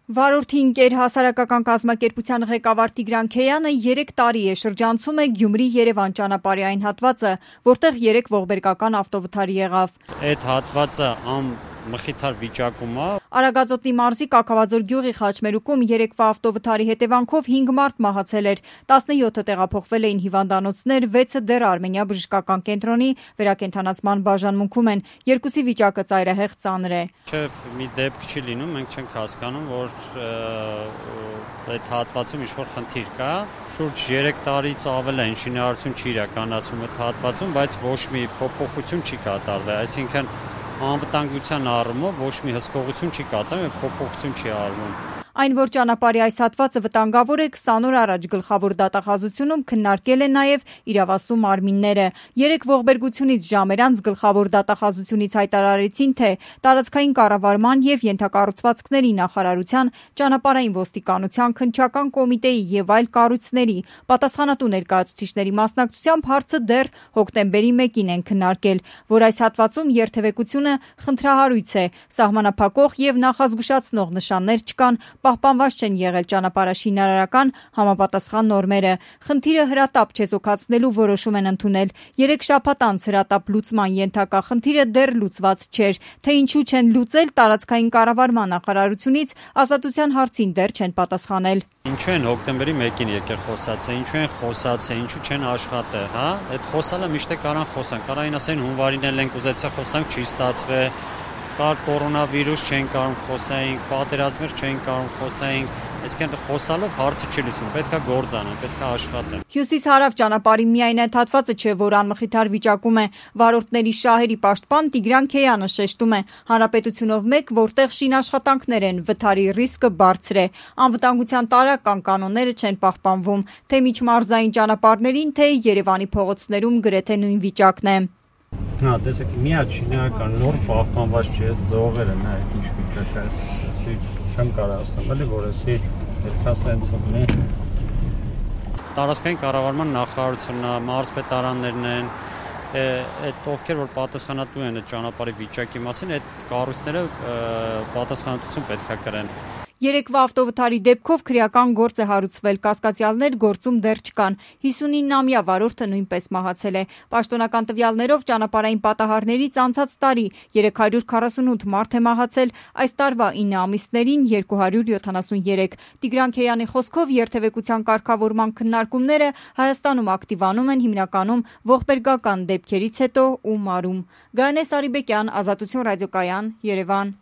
Վարորդի ընկեր հասարակական կազմակերպության ղեկավար Տիգրան Քեյանը 3 տարի է շրջանցում է Գյումրի-Երևան ճանապարհի այն հատվածը, որտեղ 3 ողբերգական ավտովթար եղավ։ Այդ հատվածը մխիթար վիճակում է։ Արագածոտնի մարզի Կաքավաձոր գյուղի խաչմերուկում 3-վա ավտովթարի հետևանքով 5 մարդ մահացել էր, 17-ը տեղափոխվել էին հիվանդանոցներ, 6-ը դեռ Արմենիա բժշկական կենտրոնի վերակենդանացման բաժանմունքում են, 2-ի վիճակը ծայրահեղ ծանր է։ Շեֆ մի դեպք չի լինում, մենք չենք հասկանում, որ այդ հատվածում ինչ-որ խնդիր կա։ Շուրջ 3 տարից ավել է ինժեներություն չի իրականացվում այդ հատվածում, բայց ոչ մի փոփոխություն չի կատարվել, այսինքն անվտանգության առումով ոչ մի հսկողություն չի կատարվում եւ փոփոխություն չի արվում։ Այն, որ ճանապարհի այս հատվածը վտանգավոր է, 20 օր առաջ գլխավոր դատախազությունում քննարկել են նաև իրավասու մարմինները։ 3 ողբերգությունից ժամեր անց գլխավոր դատախազությունից հայտարարեցին, թե տարածքային կառավարման եւ ենթակառուցվածքների նախարարության, ճանապարհային ոստիկանության, քննչական կոմիտեի եւ այլ կառույցների պատասխանատու ներկայացուցիչների մասնակցությամբ հարցը դեռ հոկտեմբերի 1-ին են քննարկել, որ այս հատվածում երթևեկությունը խնդրահարույց է, սահմանափակող եւ նախազգուշացնող նշաններ չկան, պահպանված չեն եղել ճանապարհաշինարարական համապատասխան նորմերը։ Խնդիրը հրատապ չեզոքացնելու որոշում են ընդունել։ 3 շաբաթ անց հրատապ լուծման ենթակա խնդիրը դեռ լուծված չէր, թե ինչու չեն լուծել տարածքային կառավարման նախարարությունից ազատության հարցին դեռ չեն պատասխանել։ Ինչու են հոկտեմբերի 1-ին եկել խոսացել, ինչու են խոսացել, ինչու չեն աշխատել, հա? Այդ խոսալը միշտ կարան խոսան, կարային ասեն հունվարին էլ ենք ուզեցել խոսանք, չի ստացվել։ Կար կորոնավիրուս չեն կարող խոսայինք, պատերազմեր չեն կարող խոսայինք, այսինքն խոսալով հարցը չի լուծում, պետք է գործ անեն, պետք է աշխատեն։ Հյուսիս-հարավ ճանապարհի միայն այդ հատվածը չէ, որ անմխիթար վիճակում է։ Վարորդների շահերի պաշտպան Տիգրան Քեյանը շեշտում է, հանրապետությունով մեկ, որտեղ շինաշխատանքներ են, վթարի ռիսկը բարձր է։ Անվտանգության տարրական կանոնները չեն պահպանվում, թե միջմարզային ճանապարհներին, թե Երևանի փողոցներում գրեթե նույն վիճակն է։ Հա, տեսեք, միակ շինարական նոր պահպանված չէ, զողերը, նա ինչ վիճակ է, չեմ կարող ասեմ, էլի որ էսի այդքան ունի։ Տարածքային կառավարման նախարարությունն է, մարզպետարաններն են, այդ ովքեր որ պատասխանատու են այդ ճանապարհի վիճակի մասին, այդ կառույցները պատասխանատվություն պետք է կրեն։ 3-վա ավտովթարի դեպքով քրեական գործ է հարուցվել, կասկածյալներ գործում դեռ չկան, 59-ամյա վարորդը նույնպես մահացել է։ Պաշտոնական տվյալներով ճանապարհային պատահարներից անցած տարի 348 մարդ է մահացել, այս տարվա 9 ամիսներին 273։ Տիգրան Քեյանի խոսքով երթևեկության կարգավորման քննարկումները Հայաստանում ակտիվանում են հիմնականում ողբերգական դեպքերից հետո ու մարում։ Գայանե Սարիբեկյան, Ազատություն ռադիոկայան, Երևան։